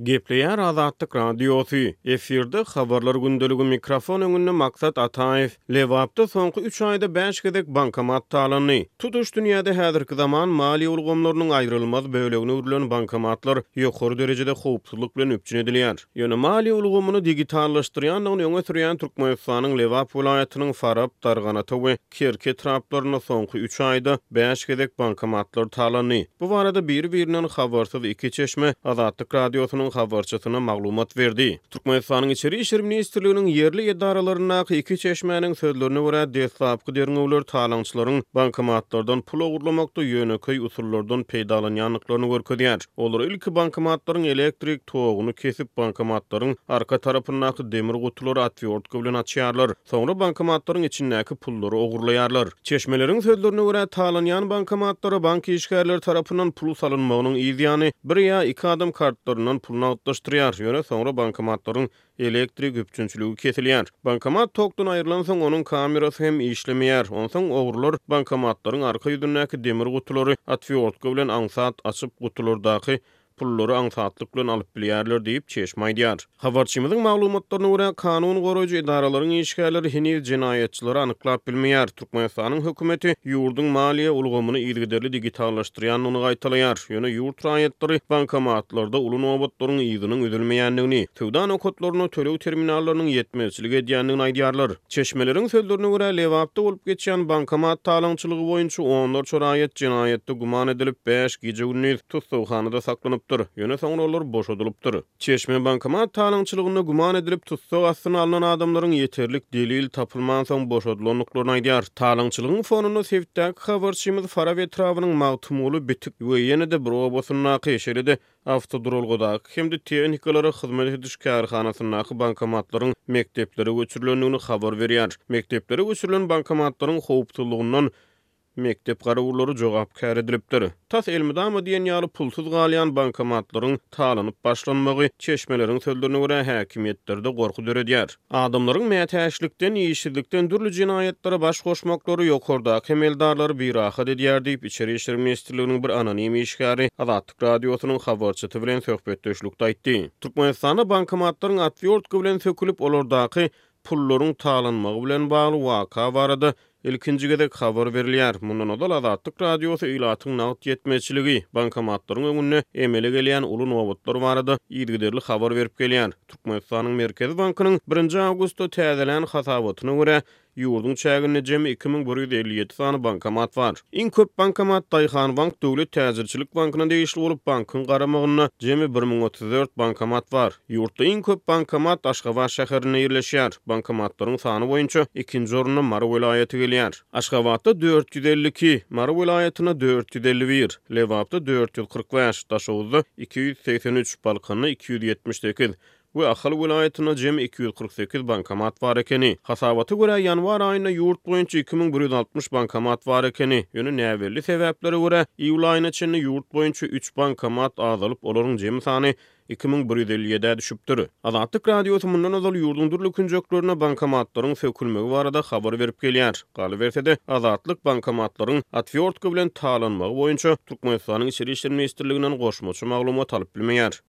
Gepleýär Azatlyk Radiosy, efirde Habarlar gündeligi, mikrofon öňünde Maksat Ataýew. Lebapda soňky üç aýda bäş gezek bankomat talandy. Tutuş dünýäde häzirki zaman maliýe ulgamlarynyň aýrylmaz bölegine öwrülen bankomatlar ýokary derejede howpsuzlyk bilen üpjün edilýär. Ýöne maliýe ulgamyny digitallaşdyrýandygyny öňe sürýän Türkmenistanyň Lebap welaýatynyň Farap, Darganata we Kerki etraplarynda soňky üç aýda bäş gezek bankomatlar talandy. Bu barada biri-birinden habarsyz iki çeşme Azatlyk Radiosynyň habarçysyna maglumat berdi. Türkmenistanyň Içeri işler ministrliginiň ýerli edaralaryndaky iki çeşmäniň sözlerine görä, deslapky derňewler talaňçylaryň bankomatlardan pul ogurlamakda ýönekeý usullardan peýdalanýandyklaryny görkezýär. Olar ilki bankomatlaryň elektrik toguny kesip, bankomatlaryň arka tarapyndaky demir gutulary otwýortka bilen açýarlar. Soňra bankomatlaryň içindäki pullary ogurlaýarlar. Çeşmeleriň sözlerine görä, talanýan bankomatlara bank işgärleri tarapyndan pul salynmagynyň yz ýany, bir ýa iki adam kartlaryndan pul nagtlaşdyrýar, ýöne soňra bankomatlaryň elektrik üpjünçiligi kesilýär. Bankomat tokdan aýrylansoň, onuň kamerasy hem işlemeýär. Onsoň ogrular bankomatlaryň arka ýüzündäki demir gutulary otwýortka bilen aňsat açyp, gutulardaky pullary aňsatlyk bilen alyp bilýärler diýip, çeşme aýdýar. Habarçymyzyň maglumatlaryna görä, kanun goraýjy edaralaryň işgärleri heniz jenaýatçylary anyklap bilmeýär. Türkmenistanyň hökümeti ýurduň maliýe ulgamyny yzygiderli digitallaşdyrýandygyny gaýtalaýar. Ýöne ýurt raýatlary bankomatlarda uly nobatlaryň yzynyň üzülmeýändigini, söwda nokatlarynda töleg terminallarynyň ýetmezçilik edýändigini aýdýarlar. Çeşmeleriň sözlerine görä, Lebapda bolup geçýän bankomat talaňçylygy boýunça onlarça raýat jenaýatda güman edilip, bäş gije-gündiz tussaghanada saklanypdyr, ýöne soňra olar boşadylypdyr. Çeşme bankomat talaňçylygynda güman edilip tussag astyna alnan adamlaryň ýeterlik delil tapylmansoň boşadylandyklaryny aýdýar. Talaňçylygyň fonunda sebitdäki habarçymyz Farap etrabynyň Magtymguly, Bitik we ýene-de bir obasyndaky, şeýle-de awtoduralgadaky hem-de tehnikalara hyzmat ediş kärhanasyndaky bankomatlaryň mekdeplere göçürilendigini habar berýär. Mekdeplere göçürilen bankomatlaryň howpsuzlygyndan mekdep garawullary jogapkär edilipdir. Tas elmydama diýen ýaly pulsuz galýan bankomatlaryň talanyp başlanmagy, çeşmeleriň sözlerine görä, häkimiýetlerde gorky döredýär. Adamlaryň mätäçlikden, işsizlikden dürli jenaýatlara baş goşmaklary ýokardaky emeldarlary birahat edýär diýip, Içeri işler ministrliginiň bir anonim işgäri Azatlyk Radiosynyň habarçysy bilen söhbetdeşlikde aýtdy. Türkmenistanda bankomatlaryň otwýortka bilen sökülip, olardaky pullaryň talanmagy bilen bagly waka barada ilkinji gezek habar berilýär. Mundan ozal Azatlyk Radiosy ilatyň nagt ýetmezçiligi, bankomatlaryň öňünde emele gelýän uly nobatlar barada yzygiderli habar berip gelýär. Türkmenistanyň Merkezi bankynyň birinji awgustda täzelän hasabatyna görä, Ýurduň çäginde jemi 2157 sany bankomat bar. Iň köp bankomat Daýhanbank döwlet täjirçilik bankyna degişli bolup, bankyň garamagynda jemi 1034 bankomat bar. Ýurtda iň köp bankomat Aşgabat şäherinde ýerleşýär. Bankomatlaryň sany boýunça ikinji orunda Mary welaýaty gelýär. Aşgabatda 452, Mary welaýatynda 451, Lebapda 445, Daşoguzda 283, Balkanda 278, we Ahal welaýatynda jemi 248 bankomat bar ekeni. Hasabata görä, ýanwar aýynda ýurt boýunça 2160 bankomat bar ekeni. Ýöne näbelli sebäplere görä, iýul aýyna çenli ýurt boýunça üç bankomat azalyp, olaryň jemi sany 2157-ä düşüpdir. Azatlyk Radiosy mundan ozal ýurduň dürli künjeklerinde bankomatlaryň sökülmegi barada habar berip gelýär. Galyberse-de, Azatlyk bankomatlaryň otwýortka bilen talanmagy boýunça Türkmenistanyň Içeri işler ministrliginden goşmaça maglumat alyp bilmeýär.